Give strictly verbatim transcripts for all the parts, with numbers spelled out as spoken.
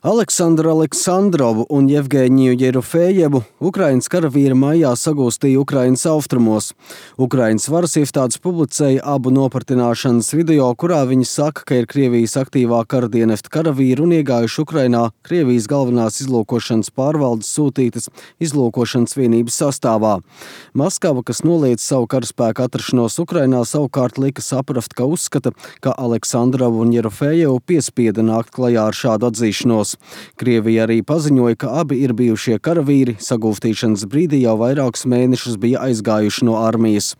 Aleksandru Aleksandrovu un Jevgeņiju Jerofejevu Ukrainas karavīri maijā sagūstīja Ukrainas austrumos. Ukrainas varas iestādes publicēja abu nopratināšanas video, kurā viņi saka, ka ir Krievijas aktīvā karadienesta karavīri un iegājuši Ukrainā Krievijas galvenās izlūkošanas pārvaldes sūtītas izlūkošanas vienības sastāvā. Maskava, kas noliedz savu karaspēku atrašanos Ukrainā, savukārt lika saprast, ka uzskata, ka Aleksandrovu un Jerofejevu piespieda nākt klajā ar šādu atzīšanos. Krievija arī paziņoja, ka abi ir bijušie karavīri, sagūstīšanas brīdī jau vairākus mēnešus bija aizgājuši no armijas.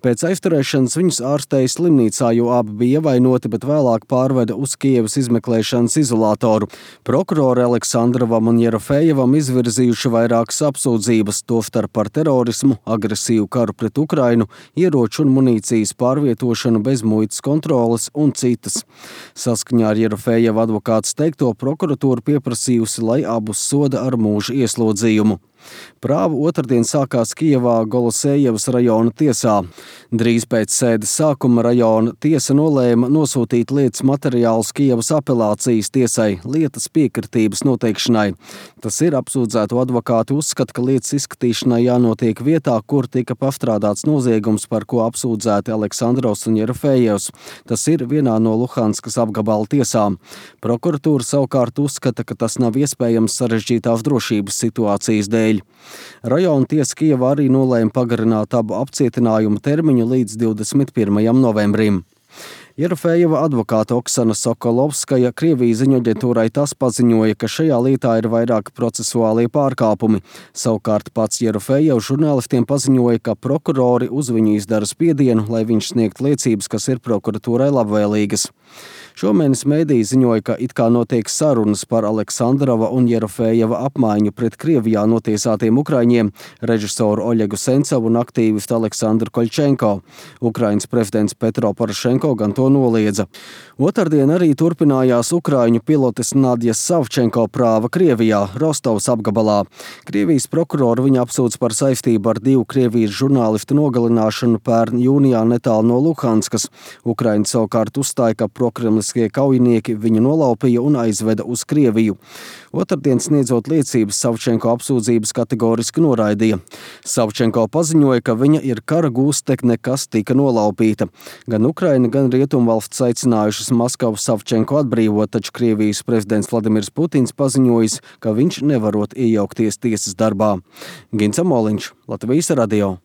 Pēc aizturēšanas viņus ārstēja slimnīcā, jo abi bija ievainoti, bet vēlāk pārveda uz Kievas izmeklēšanas izolatoru. Prokurori Aleksandrovam un Jerofejevam izvirzījuši vairākas apsūdzības, tostarp par terorismu, agresīvu karu pret Ukrainu, ieroču un munīcijas pārvietošanu bez muitas kontroles un citas. Saskaņā ar Jerofejeva advokāts teikto, prokuratūra pieprasījusi, lai abus soda ar mūža ieslodzījumu. Prāva otrdien sākās Kijevā Golosejevas rajona tiesā. Drīz pēc sēdes sākuma rajona tiesa nolēma nosūtīt lietas materiālus Kijevas apelācijas tiesai lietas piekritības noteikšanai. Tas ir, apsūdzēto advokāti uzskata, ka lietas izskatīšanai jānotiek vietā, kur tika pastrādāts noziegums, par ko apsūdzēti Aleksandrovs un Jerofejevs. Tas ir vienā no Luhanskas apgabala tiesām. Prokuratūra savukārt uzskata, ka tas nav iespējams sarežģītās drošības situācijas dēļ. Rajona tiesa Kijevā arī nolēma pagarināt abu apcietinājumu termiņu līdz divdesmit pirmajam novembrim. Jerofejeva advokāte Oksana Sokolovskaja Krievijas ziņoaģentūrai tas paziņoja, ka šajā lietā ir vairāki procesuālie pārkāpumi. Savukārt pats Jerofejevs žurnālistiem paziņoja, ka prokurori uz viņu izdara spiedienu, lai viņš sniegtu liecības, kas ir prokuratūrai labvēlīgas. Šomēnes mēdīji ziņoja, ka it kā notiek sarunas par Aleksandrova un Jerofejeva apmaiņu pret Krievijā notiesātiem ukraiņiem, režisoru Oļegu Sencovu un aktīvistu Aleksandru Koļčenko. Ukrainas prezidents Petro Porošenko gan to noliedza. Otrdien arī turpinājās ukraiņu pilotes Nadjas Savčenko prāva Krievijā, Rostovas apgabalā. Krievijas prokurori viņa apsūdz par saistību ar divu Krievijas žurnālistu nogalināšanu pērn jūnijā netālu no Luhanskas. Ukraina savukārt uzstāja, ka prokremliskie kaujinieki viņu nolaupīja un aizveda uz Krieviju. Otrdien sniedzot liecības, Savčenko apsūdzības kategoriski noraidīja. Savčenko paziņoja, ka viņa ir kara gūstekne, kas tika nolaupīta. Gan Ukraina, gan Rietumvalsts aicinājušas Maskavu Savčenko atbrīvot, taču Krievijas prezidents Vladimirs Putins paziņojis, ka viņš nevarot iejaukties tiesas darbā. Gints Amoliņš, Latvijas radio.